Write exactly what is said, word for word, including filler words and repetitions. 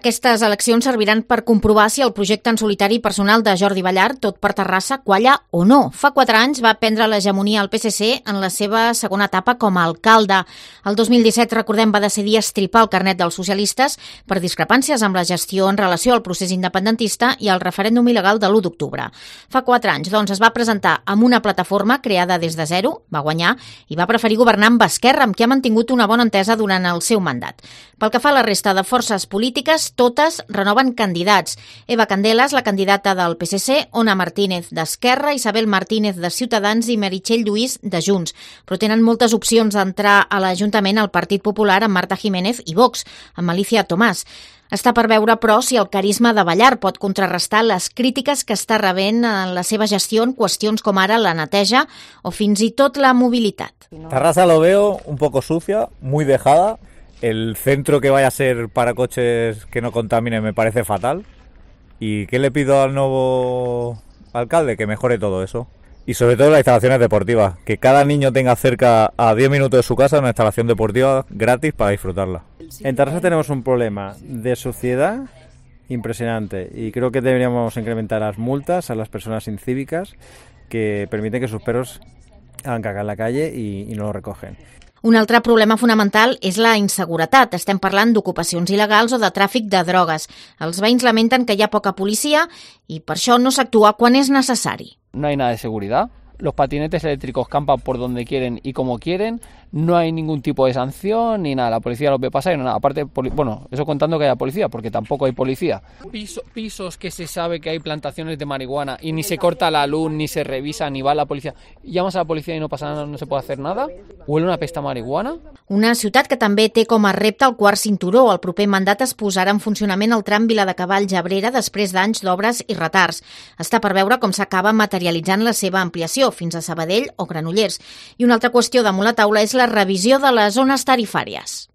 Aquestes eleccions serviran per comprovar si el projecte en solitari personal de Jordi Ballart, tot per Terrassa, qualla o no. Fa quatre anys va prendre l'hegemonia al P S C en la seva segona etapa com a alcalde. El dos mil disset, recordem, va decidir estripar el carnet dels socialistes per discrepàncies amb la gestió en relació al procés independentista i al referèndum il·legal de l'u d'octubre. Fa quatre anys, doncs, es va presentar amb una plataforma creada des de zero, va guanyar i va preferir governar amb Esquerra, amb qui ha mantingut una bona entesa durant el seu mandat. Pel que fa a la resta de forces polítiques, totes renoven candidats. Eva Candelas, la candidata del P S C, Ona Martínez d'Esquerra, Isabel Martínez de Ciutadans i Meritxell Lluís de Junts. Però tenen moltes opcions d'entrar a l'Ajuntament al Partit Popular amb Marta Jiménez i Vox, amb Alicia Tomàs. Està per veure, però, si el carisma de Ballart pot contrarrestar les crítiques que està rebent en la seva gestió en qüestions com ara la neteja o fins i tot la mobilitat. Terrassa lo veo un poco sucia, muy dejada. El centro que vaya a ser para coches que no contaminen me parece fatal. ¿Y qué le pido al nuevo alcalde? Que mejore todo eso. Y sobre todo las instalaciones deportivas. Que cada niño tenga cerca a diez minutos de su casa una instalación deportiva gratis para disfrutarla. En Terrassa tenemos un problema de suciedad impresionante y creo que deberíamos incrementar las multas a las personas incívicas que permiten que sus perros hagan caca en la calle y, y no lo recogen. Un altre problema fonamental és la inseguretat. Estem parlant d'ocupacions il·legals o de tràfic de drogues. Els veïns lamenten que hi ha poca policia i per això no s'actua quan és necessari. No hay nada de seguridad. Los patinetes eléctricos campan por donde quieren y como quieren, no hay ningún tipo de sanción ni nada, la policía los ve pasar y no nada, aparte, bueno, eso contando que haya policía, porque tampoco hay policía. Piso, pisos que se sabe que hay plantaciones de marihuana y ni se corta la luz, ni se revisa, ni va la policía, llamas a la policía y no pasa nada, no se puede hacer nada, huele una pesta a marihuana. Una ciutat que també té com a repte el quart cinturó. El proper mandat es posarà en funcionament el tram Viladecavalls-Abrera després d'anys d'obres i retards. Està per veure com s'acaba materialitzant la seva ampliació fins a Sabadell o Granollers. I una altra qüestió damunt la taula és la revisió de les zones tarifàries.